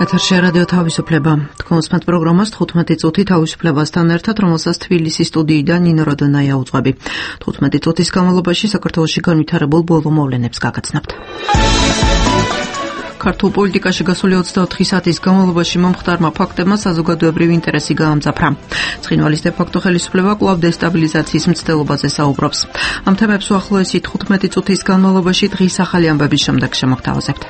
ეთერში რადიო თავისუფლება. თქვენს პროგრამას 15 წუთი თავისუფლებასთან ერთად, რომელსაც თბილისის სტუდიიდან ნინო როდონაია უძღვები. 15 წუთის განმავლობაში საქართველოში განვითარებულ ბოლო მოვლენებს გაგაცნობთ. ქართულ პოლიტიკაში გასული 24 საათის განმავლობაში მომხდარმა ფაქტებმა საზოგადოებრივი ინტერესი გაამძაფრა. ცხინვალის დე-ფაქტო ხელისუფლება კვლავ დესტაბილიზაციის მცდელობაზე საუბრობს. ამ თემებს უახლოესი 15 წუთის განმავლობაში დღის ახალი ამბების შემდეგ შემოგთავაზებთ.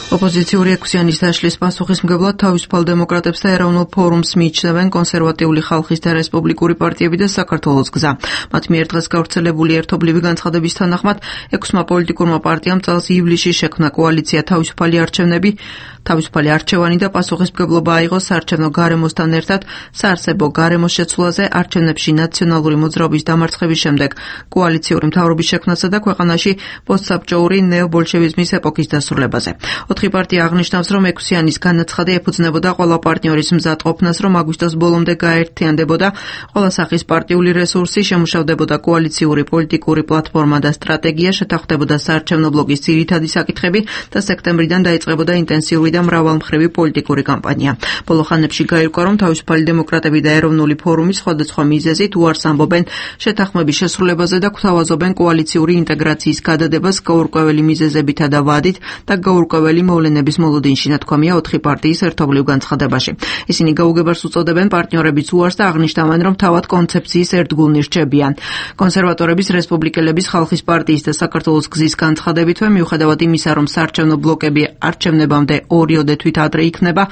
ოპოზიციური ექვსიანის დაშლის პასუხისმგებლად თავისუფალ დემოკრატებს და ეროვნულ ფორუმს მიიჩნევენ კონსერვატიული ხალხის და რესპუბლიკური პარტიები და საქართველოს გზა. მათ მიერ დღეს გავრცელებული ერთობლივი განცხადების თანახმად, 6 პოლიტიკურმა პარტიამ წელს ივლისში შექმნა კოალიცია თავისუფალი არჩევანი და პასუხისმგებლობა აიღო საარჩევნო გარემოსთან ერთად საარსებო გარემოს შეცვლაზე არჩევნებში ნაციონალური მოძრაობის დამარცხების შემდეგ კოალიციური მთავრობის შექმნასა და ქვეყანაში პოსტსაბჭოური ნეობოლშევიზმის ეპოქის დასრულებაზე. 4 პარტია აღნიშნავს, რომ ექვსიანის განაცხადი ეფუძნებოდა ყველა პარტნიორის მზადყოფნას, რომ აგვისტოს ბოლომდე გაერთიანდებოდა ყველა სახის პარტიული რესურსი, შემუშავდებოდა კოალიციური პოლიტიკური პლატფორმა და სტრატეგია, შეთანხმდებოდა საარჩევნო ბლოკის ძირითადი საკითხები და სექტემბრიდან დაიწყებოდა ინტენსიური და მრავალმხრივი პოლიტიკური კამპანია. ბოლო ხანებში გაირკვა, რომ თავისუფალი დემოკრატები და ეროვნული ფორუმი სხვადასხვა მიზეზით უარს ამბობენ შეთანხმების შესრულებაზე და გვთავაზობენ კოალიციური ინტეგრაციის გადადებას გაურკვეველი მიზეზებითა და ვადით და გაურკვეველი მოვლენების მოლოდინში, ნათქვამია 4 პარტიის ერთობლივ განცხადებაში. ისინი გაუგებარს უწოდებენ პარტნიორების უარს და აღნიშნავენ, რომ თავად კონცეფციის ერთგულნი რჩებიან. კონსერვატორების, რესპუბლიკელების, ხალხის პარტიის და საქართველოს გზის განცხადებითვე, მიუხედავად იმისა, რომ საარჩევნო ბლოკები არჩევნებამდე 2 თვით ადრე იქნება,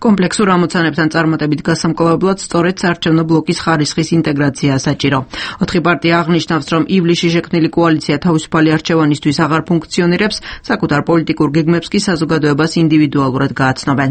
კომპლექსურ ამოცანებთან წარმატებით გასამკლავებლად სწორედ საარჩევნო ბლოკის ხარისხის ინტეგრაცია საჭირო. 4 პარტია აღნიშნავს, რომ ივლისში შექმნილი კოალიცია თავისუფალი არჩევანისთვის აღარ ფუნქციონირებს, საკუთარ პოლიტიკურ გეგმებს კი საზოგადოებას ინდივიდუალურად გააცნობენ.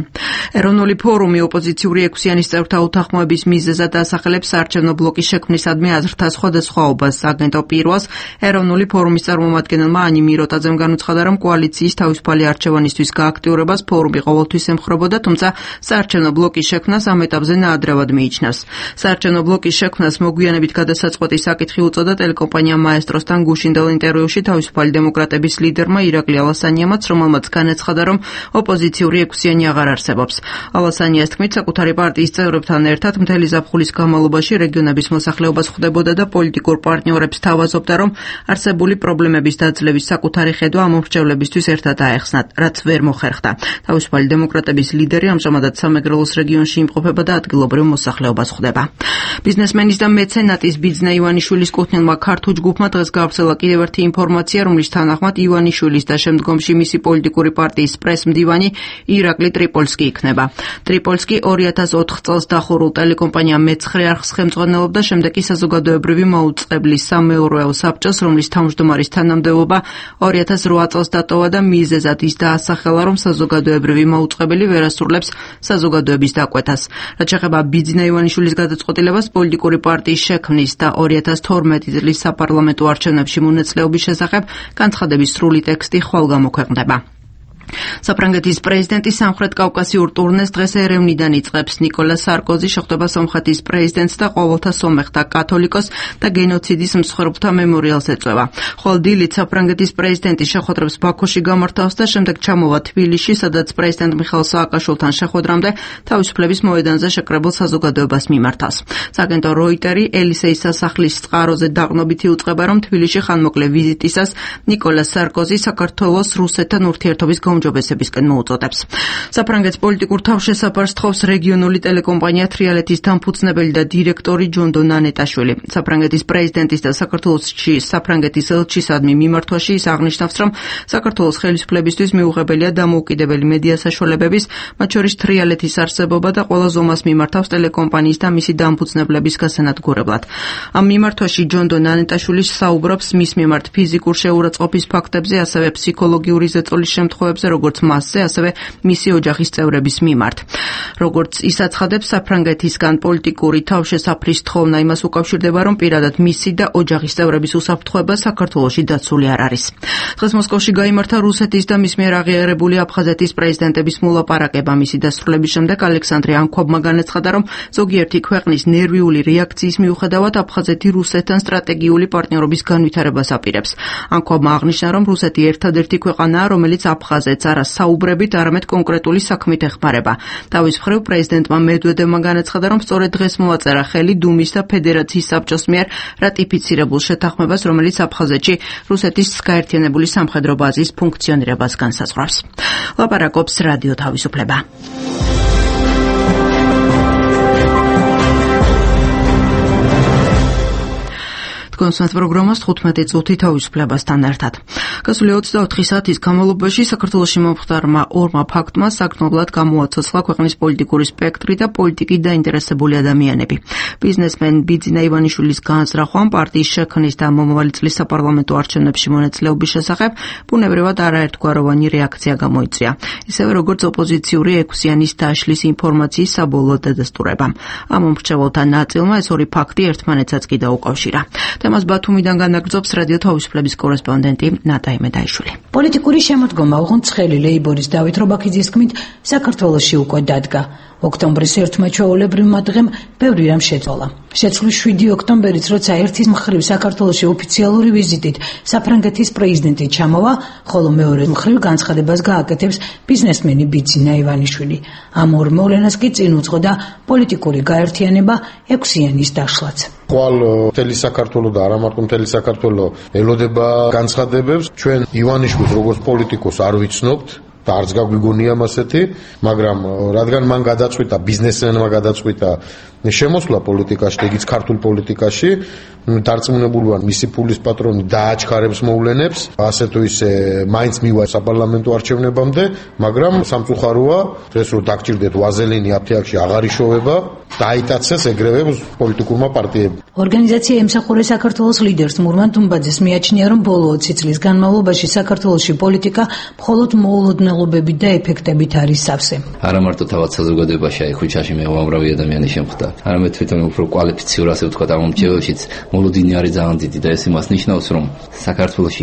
ეროვნული ფორუმი ოპოზიციური ექვსიანის წევრთა უთანხმოების მიზეზად ასახელებს საარჩევნო ბლოკის შექმნისადმი აზრთა სხვადასხვაობას. აგენტო პირველს ეროვნული ფორუმის წარმომადგენელმა ანი მიროტაძემ განუცხადა, რომ კოალიციის თავისუფალი არჩევანისთვის გააქტიურებას ფორუმი ყოველთვის ემხრობოდა, თუმცა საარჩევნო ბლოკის შექმნას ამ ეტაპზე ნაადრევად მიიჩნევს. საარჩევნო ბლოკის შექმნას მოგვიანებით გადასაწყვეტი საკითხი უწოდა ტელეკომპანია მაესტროსთან გუშინდელ ინტერვიუში თავისუფალი დემოკრატების ლიდერმა ირაკლი ალასანიამაც, რომელმაც განაცხადა, რომ ოპოზიციური ექვსიანი აღარ არსებობს. ალასანიას თქმით, საკუთარი პარტიის წევრებთან ერთად მთელი ზაფხულის განმავლობაში რეგიონების მოსახლეობას ხვდებოდა და პოლიტიკურ პარტნიორებს თავაზობდა, რომ არსებული პრობლემების დაძლევის საკუთარი ხედვა ამ მომრჩევლებისთვის ერთად აეხსნათ, რაც ვერ მოხერხდა. თავისუფალი დემოკრატების ლიდერი ამჟამადაც სამეგრელოს რეგიონში იმყოფება და ადგილობრივ მოსახლეობას ხვდება. ბიზნესმენის და მეცენატის ბიძნა ივანიშვილის კუთვნილმა ქართულ ჯგუფმა დღეს გავრცელა კიდევ ერთი ინფორმაცია, რომლის თანახმად ივანიშვილის და შემდგომში მისი პოლიტიკური პარტიის პრესმდივანი ირაკლი ტრიპოლსკი იქნება. ტრიპოლსკი 2004 წელს დახურულ ტელეკომპანია მეცხრე არხს ხელმძღვანელობდა, შემდეგ კი საზოგადოებრივი მაუწყებლის სამეურვეო საბჭოს, რომლის თავმჯდომარის თანამდებობა 2008 წელს დატოვა და მიზეზად ის დაასახელა, რომ საზოგადოებრივი მაუწყებელი ვერ ასრულებს საზოგადოების დაკვეთას. რაც შეეხება ბიძნა ივანიშვილის გადაწყვეტილებას პოლიტიკური პარტიის შექმნის და 2012 წლის საპარლამენტო არჩევნებში მონაწილეობის შესახებ, განცხადების სრული ტექსტი ხვალ გამოქვეყნდება. საფრანგეთის პრეზიდენტი სამხრეთ კავკასიურ ტურნეს დღეს ერევნიდან იწყებს. ნიკოლა სარკოზი შეხვდება სომხეთის პრეზიდენტს და ყოველთა სომეხთა კათოლიკოს და გენოციდის მსხვერპლთა მემორიალს ეწევა. ხოლო დილით საფრანგეთის პრეზიდენტი შეხვედრებს ბაქოში გამართავს და შემდეგ ჩამოვა თბილისში, სადაც პრეზიდენტ მიხეილ სააკაშვილთან შეხვედრამდე თავისუფლების მოედანზე შეკრებილ საზოგადოებას მიმართავს. სააგენტო როიტერი ელისეის სასახლის წყაროზე დაყრდნობით იუწყება, რომ თბილისში ხანმოკლე ვიზიტისას ნიკოლა სარკოზი საქართველოს რუსეთთან ურთიერთობის გაუმჯობესებისკენ მოუწოდებს. საფრანგეთის პოლიტიკურ თავშესაფარს თხოვს რეგიონული ტელეკომპანია თრიალეთის დამფუძნებელი და დირექტორი ჯონდო ნანეტაშვილი. საფრანგეთის პრეზიდენტის და საქართველოსში საფრანგეთის ელჩისადმი მიმართვაში ის აღნიშნავს, რომ საქართველოს ხელისუფლებისთვის მიუღებელია დამოუკიდებელი მედია საშუალებების, მათ შორის თრიალეთის არსებობა და ყველა ზომას მიმართავს ტელეკომპანიის და მისი დამფუძნებლების გასანადგურებლად. ამ მიმართვაში ჯონდო ნანეტაშვილი საუბრობს მის მიმართ ფიზიკურ შეურაცხყოფის ფაქტებზე, ასევე ფსიქოლოგიური ზეწოლის შემთხვევებზე, როგორც მასზე, ასევე მისი ოჯახის წევრების მიმართ. როგორც ის აცხადებს, საფრანგეთისგან პოლიტიკური თავშესაფრის თხოვნა იმას უკავშირდება, რომ პირადად მისი და ოჯახის წევრების უსაფრთხოება საქართველოში დაცული არ არის. დღეს მოსკოვში გაიმართა რუსეთის და მის მიერ აღიარებული აფხაზეთის პრეზიდენტების მოლაპარაკება. მისი დასრულების შემდეგ ალექსანდრე ანქვაბმა განაცხადა, რომ ზოგიერთი ქვეყნის ნერვიული რეაქციის მიუხედავად აფხაზეთი რუსეთთან სტრატეგიული პარტნიორობის განვითარებას აპირებს. ანქვაბმა აღნიშნა, რომ რუსეთი ერთადერთი ქვეყანაა, რომელიც აფხაზეთს არა საუბრებით, არამედ კონკრეტული საქმით ეხმარება. თავის მხრივ პრეზიდენტმა მედვედევმა განაცხადა, რომ სწორედ დღეს მოაწერა ხელი დუმის და ფედერაციის საბჭოს მიერ რატიფიცირებულ შეთანხმებას, რომელიც აფხაზეთში რუსეთის გაერთიანებული სამხედრო ბაზის ფუნქციონირებას განსაზღვრავს. ლაპარაკობს რადიო თავისუფლება. კონსულტანტ პროგრამას 15 წუთი თავისუფლებასთან ერთად. გასული 24 საათის განმავლობაში საქართველოში მომხდარმა ორმა ფაქტმა საგრძნობლად გამოაცოცხლა ქვეყნის პოლიტიკური სპექტრი და პოლიტიკით დაინტერესებული ადამიანები. ბიზნესმენ ბიძინა ივანიშვილის განზრახვამ პარტიის შექმნის და მომავალი წლის საპარლამენტო არჩევნებში მონაწილეობის შესახებ ბუნებრივად არაერთგვაროვანი რეაქცია გამოიწვია. ისევე როგორც ოპოზიციური ექვსიანის დაშლის ინფორმაციის საბოლოო დადასტურებამ. ამ მომრჩეველთა ნაწილმა ეს ორი ფაქტი ერთმანეთსაც კი დაუკავშირა. თემას ბათუმიდან განაგრძობს რადიო თავისუფლების კორესპონდენტი ნატა იმედაიშვილი. პოლიტიკური შემოდგომა ოღონდ ცხელი ლეიბორის დავით რობაქიძის თქმით საქართველოში უკვე დადგა. ოქტომბრის ერთმა ჩვეულებრივმა დღემ ბევრი რამ შეცვალა. შეცვლის 7 ოქტომბერიც, როცა ერთის მხრივ საქართველოში ოფიციალური ვიზიტით საფრანგეთის პრეზიდენტი ჩამოვა, ხოლო მეორე მხრივ განცხადებას გააკეთებს ბიზნესმენი ბიძინა ივანიშვილი. ამ ორ მოვლენას კი წინ უძღოდა პოლიტიკური გაერთიანება ექვსიანის დაშლაც. ხვალ მთელი საქართველო და არა მარტო მთელი საქართველო ელოდება განცხადებებს. ჩვენ ივანიშვილს როგორც პოლიტიკოს არ ვიცნობთ და არც გაგვიგონია ასეთი, მაგრამ რადგან მან გადაწყვიტა, ბიზნესმენმა გადაწყვიტა შემოსვლა პოლიტიკაში, ეგიც ქართულ პოლიტიკაში, დარწმუნებული ვარ, მისი ფულის პატრონი დააჩქარებს მოვლენებს, ასე თუ ისე მაინც მივა საპარლამენტო არჩევნებამდე, მაგრამ სამწუხაროა, ეს რომ დაგჭირდეთ ვაზელინი აფთიაქში აღარ იშოვება, დაიტაცეს ეგრევე პოლიტიკურმა პარტიებმა. ორგანიზაცია ემსახურე საქართველოს ლიდერს მურმან დუმბაძეს მიაჩნია, რომ ბოლო 20 წლის განმავლობაში საქართველოში პოლიტიკა მხოლოდ მოულოდნელობებით და ეფექტებით არის სავსე. არა მარტო თავად საზოგადოებაში აი ხუჩაში მე უამრავი ადამიანი შემხვდა, არამედ თვითონ უფრო კვალიფიციურ, ასე ვთქვათ, ამომრჩეველშიც მოლოდინი არის ძალიან დიდი და ეს იმას ნიშნავს, რომ საქართველოს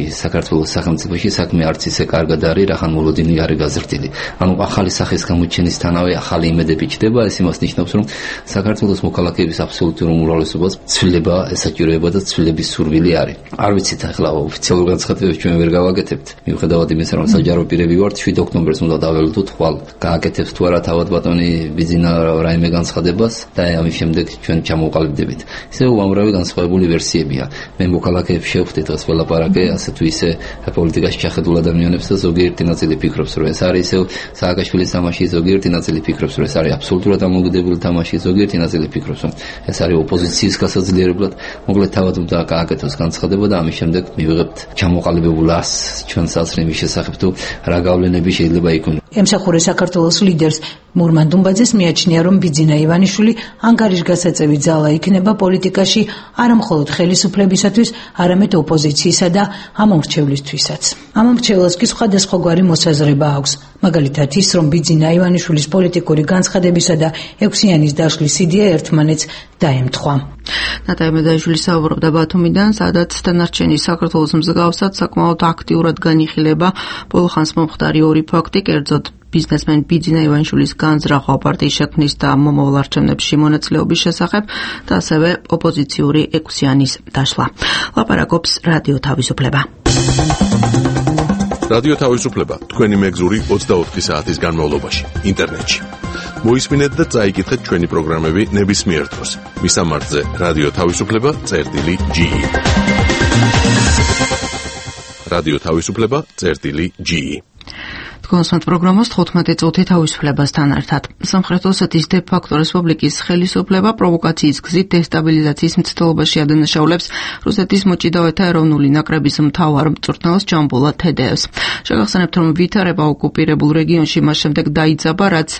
სახელმწიფოში საქმე არც ისე კარგად არის, რახან მოლოდინი არის გაზრდილი. ანუ ახალი სახის გამოჩენისთანავე ახალი იმედები ჩდება, ეს იმას ნიშნავს, რომ საქართველოს მოქალაქეების აბსოლუტურ უმრავლესობას ცვლილება ესაჭიროება და ცვლილების სურვილი არის. არ ვიცით ახლა ოფიციალურ განცხადებებს ჩვენ ვერ გავაკეთებთ. მიუხედავად იმისა, რომ საჯარო პირები ვართ, 7 ოქტომბერს უნდა დაველოდოთ ხვალ გააკეთებს თუ არა თავად ბატონი ბიძინა რაიმე განცხადებას და ამის შემდეგ ჩვენ ჩამოვყალიბდებით. ისე უამრავი განსხვავებული ვერსიებია. მე მოქალაქეებს შევხვდი დღეს ველაპარაკე, ასე თუ ისე პოლიტიკაში ჩახედულ ადამიანებს და ზოგიერთი ნაწილი ფიქრობს, რომ ეს არის ისევ სააკაშვილის თამაში, ზოგიერთი ნაწილი ფიქრობს, რომ ეს არის აბსოლუტურად დამოუკიდებელი თამაში, ზოგიერთი ნაწილი ფიქრობს, რომ ეს არის ოპოზიციის გასაძლიერებლად. მოკლედ თავად უნდა გააკეთოს განცხადება და ამის შემდეგ მივიღებთ ჩამოყალიბებულ არს ჩვენ საზრიმის შესახებ თუ რა გავლენები შეიძლება იქონოს. ემსახურე საქართველოს ლიდერს მურმან დუმბაძეს მიაჩნია, რომ ბიძინა ივანიშვილი ანგარიშგასაწევი ძალა იქნება პოლიტიკაში არა მხოლოდ ხელისუფლებისათვის, არამედ ოპოზიციისა და ამომრჩევლისთვისაც. ამომრჩევლს კი სხვადასხვაგვარი მოსაზრება აქვს. მაგალითად ის, რომ ბიძინა ივანიშვილის პოლიტიკური განცხადებისა და ექვსიანის დაშლის იდეა ერთმანეთს დაემთხვა. ნატა იმედაიშვილი საუბრობდა ბათუმიდან, სადაც დანარჩენი საქართველოს მსგავსად საკმაოდ აქტიურად განიხილება ბოლო ხანს მომხდარი ორი ფაქტი, კერძოდ ბიზნესმენ ბიძინა ივანიშვილის განზრახვა პარტიის შექმნის და მომავალ არჩევნებში მონაწილეობის შესახებ და ასევე ოპოზიციური ექვსიანის დაშლა. ლაპარაკობს რადიო თავისუფლება. რადიო თავისუფლება თქვენი მეგზური 24 საათის განმავლობაში ინტერნეტში. მოისმინეთ და წაიკითხეთ ჩვენი პროგრამები ნებისმიერ დროს. მისამართზე რადიო თავისუფლება.ge. რადიო თავისუფლება.ge. კონსულტანტ პროგრამას 15 წუთი თავისუფლებასთან ერთად. სამხრეთ ოსეთის დე-ფაქტო რესპუბლიკის ხელისუფლება პროვოკაციის გზით დესტაბილიზაციის მცდელობაში ადანაშაულებს რუსეთის მოჭიდავეთა ეროვნული ნაკრების მთავარ მწვრთნელს ჯამბულა თედეევს. შეგახსენებთ, რომ ვითარება ოკუპირებულ რეგიონში მას შემდეგ დაიძაბა, რაც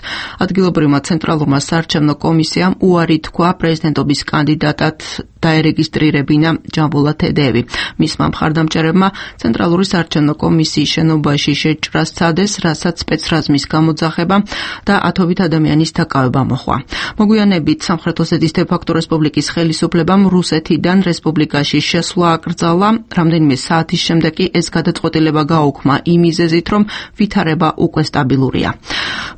ადგილობრივმა ცენტრალურმა საარჩევნო კომისიამ უარი თქვა პრეზიდენტობის კანდიდატად დაერეგისტრირებინა ჯამბულა თედეევი. მისმა მხარდამჭერებმა ცენტრალური საარჩევნო კომისიის შენობაში შეჭრა სცადეს, რასაც სპეცრაზმის გამოძახება და ათობით ადამიანის დაკავება მოჰყვა. მოგვიანებით სამხრეთ ოსეთის დე-ფაქტო რესპუბლიკის ხელისუფლებამ რუსეთიდან რესპუბლიკაში შესვლა აკრძალა. რამდენიმე საათის შემდეგ კი ეს გადაწყვეტილება გაუქმა იმ მიზეზით, რომ ვითარება უკვე სტაბილურია.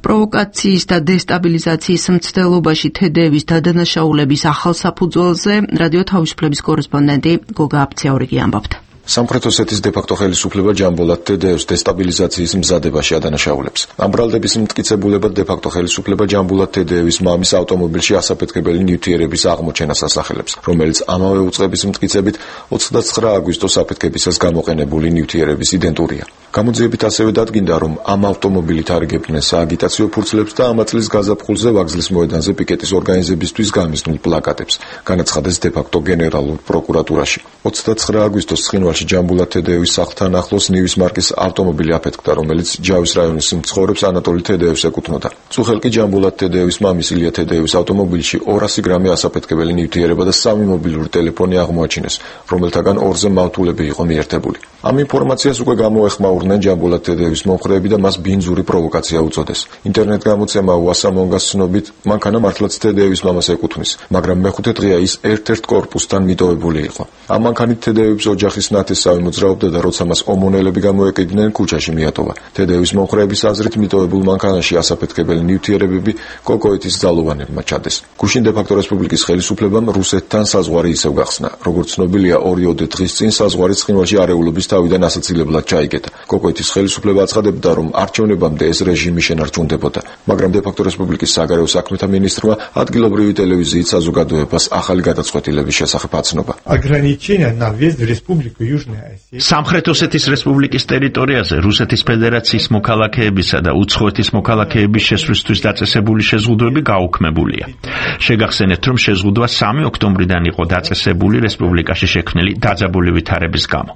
პროვოკაციის და დესტაბილიზაციის მცდელობაში თედეევის დადანაშაულების ახალ საფუძველზე რადიო თავისუფლების კორესპონდენტი გოგა აფციაურიგი ამბობთ. სამხრეთ ოსეთის დე-ფაქტო ხელისუფლება ჯამბოლად თედეევს დესტაბილიზაციის მზადებაში ადანაშაულებს. ამ ბრალდების მტკიცებულებად დე-ფაქტო ხელისუფლება ჯამბოლად თედეევის მამის ავტომობილში ასაფეთქებელი ნივთიერების აღმოჩენას ასახელებს, რომელიც ამავე უწყების მტკიცებით 29 აგვისტოს აფეთქებისას გამოყენებული ნივთიერების იდენტურია. გამოძიებით ასევე დადგინდა, რომ ამ ავტომობილით არიგებდნენ სააგიტაციო ფურცლებს და ამა წლის გაზაფხულზე ვაგზლის მოედანზე პიკეტის ორგანიზებისთვის გამიზნულ პლაკატებს, განაცხადეს დე-ფაქტო გენერალურ პროკურატურაში. 29 აგვისტოს ცხინვალში ჯამბულა თედეევის სახლთან ახლოს ნივის მარკის ავტომობილი აფეთქდა, რომელიც ჯავის რაიონის მცხოვრებს ანატოლი თედეევს ეკუთვნოდა. წუხელ კი ჯამბულა თედეევის მამის ილია თედეევის ავტომობილში 200 გრამი ასაფეთქებელი ნივთიერება და 3 მობილური ტელეფონი აღმოაჩინეს, რომელთაგან 2-ზე მავთულები იყო მიერთებული. ამ ინფორმაციას უკვე გამოეხმაურნენ ჯამბულა თედეევის მომხრეები და მას ბინძური პროვოკაცია უწოდეს. ინტერნეტ გამოცემა უასამონგას ცნობით, მანქანა მართლაც თედეევის მამას ეკუთვნის, მაგრამ მეხუთე დღეა ის ერთ-ერთ კორპუსთან მიტოვებული იყო. ამ მანქანით თედეევის ოჯახის ნათესავი მოძრაობდა და როცა მას ომონელები გამოეკიდნენ, ქუჩაში მიატოვა. თედეევის მომხრეების აზრით მიტოვებულ მანქანაში ასაფეთქებელი ნივთიერებები კოკოეთის ძალოვანებმა ჩადეს. გუშინ დე-ფაქტო რესპუბლიკის ხელისუფლებამ რუსეთთან საზღვარი ისევ გახსნა. როგორც ცნობილია, 2 დღის წინ საზღვარი ცხინვალში არეულობის თავიდან ასაცილებლად ჩაიგეთა. კოკოეთის ხელისუფლება აცხადებდა, რომ არჩევნებამდე ეს რეჟიმი შენარჩუნდებოდა, მაგრამ დე-ფაქტო რესპუბლიკის საგარეო საქმეთა მინისტრმა ადგილობრივი ტელევიზიით საზოგადოებას ახალი გადაწყვეტილების შესახებ აცნობა. სამხრეთ ოსეთის რესპუბლიკის ტერიტორიაზე რუსეთის ფედერაციის მოქალაქეებისა და უცხოეთის მოქალაქეების შესვლისთვის დაწესებული შეზღუდვები გაუქმებულია. შეგახსენეთ, რომ შეზღუდვა 3 ოქტომბრიდან იყო დაწესებული რესპუბლიკაში შექმნილი დაძაბული ვითარების გამო.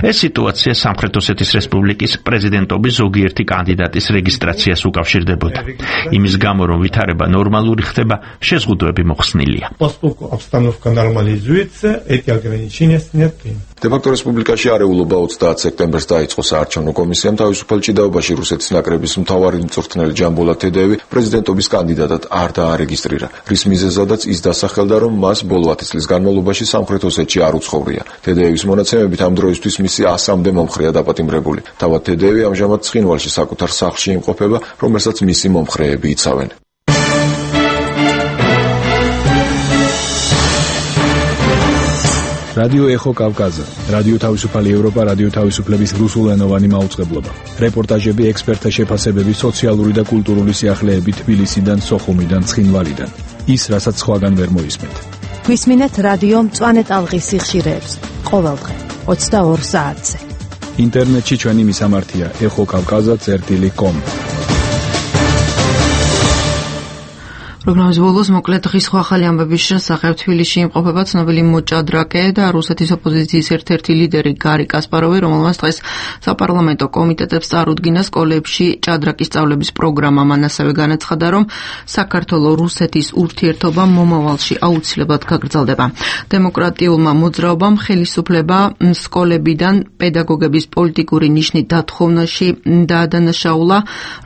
ეს სიტუაცია სამხრეთ ოსეთის რესპუბლიკის პრეზიდენტობის ზოგიერთი კანდიდატის რეგისტრაციას უკავშირდებოდა. იმის გამო, რომ ვითარება ნორმალური ხდება, შეზღუდვები მოხსნილია. დე-ფაქტო რესპუბლიკაში არეულობა 30 სექტემბერს დაიწყო. საარჩევნო კომისიამ თავისუფალ ჭიდაობაში რუსეთის ნაკრების მთავარი მწვრთნელი ჯამბულა თედეევი პრეზიდენტობის კანდიდატად არ დაარეგისტრირა, რის მიზეზადაც ის დასახელდა, რომ მას ბოლო 10 წლის განმავლობაში სამხრეთ ოსეთში არ უცხოვრია. თედეევის მონაცემებით ამ დროისთვის მისი 100-მდე მომხრეა დაპატიმრებული. თავად თედეევი ამჟამად ცხინვალში საკუთარ სახლში იმყოფება, რომელსაც მისი მომხრეები იცავენ. რადიო ეხო კავკაზა, რადიო თავისუფალი ევროპა, რადიო თავისუფლების რუსულენოვანი მაუწყებლობა. რეპორტაჟები, ექსპერტთა შეფასებები, სოციალური და კულტურული სიახლეები თბილისიდან, სოხუმიდან, ცხინვალიდან. ის, რასაც სხვაგან ვერ მოისმენთ. გვისმინეთ რადიო მწვანე ტალღის სიხშირეებს ყოველდღე 22 საათზე. ინტერნეტში ჩვენი მისამართია ეხოკავკაზა.com. პროგრამის ბოლოს მოკლედ დღის ახალი ამბების შესახებ თბილისში იმყოფება ცნობილი მოჭადრაკე და რუსეთის ოპოზიციის ერთ-ერთი ლიდერი გარი კასპაროვი, რომელმაც დღეს საპარლამენტო კომიტეტებს წარუდგინა სკოლებში ჭადრაკის სწავლების პროგრამა. მან ასევე განაცხადა, რომ საქართველო-რუსეთის ურთიერთობა მომავალში აუცილებლად გაგრძელდება. დემოკრატიულმა მოძრაობამ ხელისუფლება სკოლებიდან პედაგოგების პოლიტიკური ნიშნით დათხოვნაში დაადანაშაულა.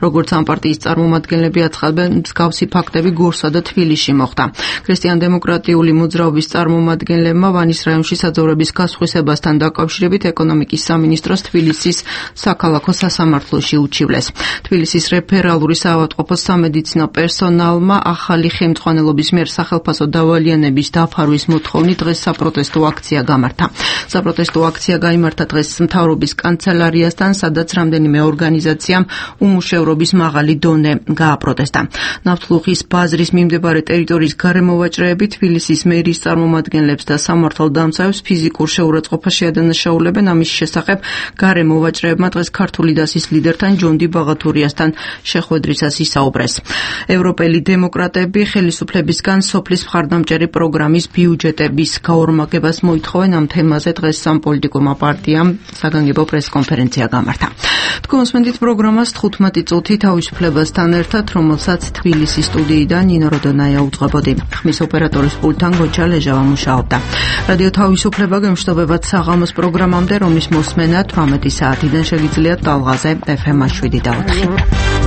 როგორც ამ პარტიის წარმომადგენლები აცხადებენ, მსგავსი ფაქტები გორსა და თბილისში მოხდა. ქრისტიან-დემოკრატიული მოძრაობის წარმომადგენლებმა ვანის რაიონში საძოვრების გასხვისებასთან დაკავშირებით ეკონომიკის სამინისტროს თბილისის საქალაქო სასამართლოში უჩივლეს. თბილისის რეფერალური საავადმყოფოს სამედიცინო პერსონალმა ახალი ხელმძღვანელობის მიერ სახელფასო დავალიანების დაფარვის მოთხოვნით დღეს საპროტესტო აქცია გამართა. საპროტესტო აქცია გაიმართა დღეს მთავრობის კანცელარიასთან, სადაც რამდენიმე ორგანიზაციამ უმუშევრობის მაღალი დონე გააპროტესტა. ნავთლუღის ბაზრის მიმდებარე ტერიტორიის გარემოვაჭრეები თბილისის მერის წარმომადგენლებს და სამართალდამცავებს ფიზიკურ შეურაცხყოფაში ადანაშაულებენ. ამის შესახებ გარემოვაჭრეებმა დღეს ქართული დასის ლიდერთან ჯონდი ბაღათურიასთან შეხვედრისას ისაუბრეს. ევროპელი დემოკრატები ხელისუფლებისგან სოფლის მხარდამჭერი პროგრამის ბიუჯეტების გაორმაგებას მოითხოვენ. ამ თემაზე დღეს სამპოლიტიკურმა პარტიამ საგანგებო პრესკონფერენცია გამართა. თქვენ მოსმენთ პროგრამას 15 წუთი თავისუფლებასთან ერთად, რომელსაც თბილისის სტუდიიდან ნინო როდონაია უძღვებოდი. ხმის ოპერატორის პულტთან გოჩა ლეჟავა მუშაობდა. რადიო თავისუფლება გემშვიდობებად საღამოს პროგრამამდე, რომლის მოსმენა 18 საათიდან შეგიძლიათ ტალღაზე FM 7 და 4.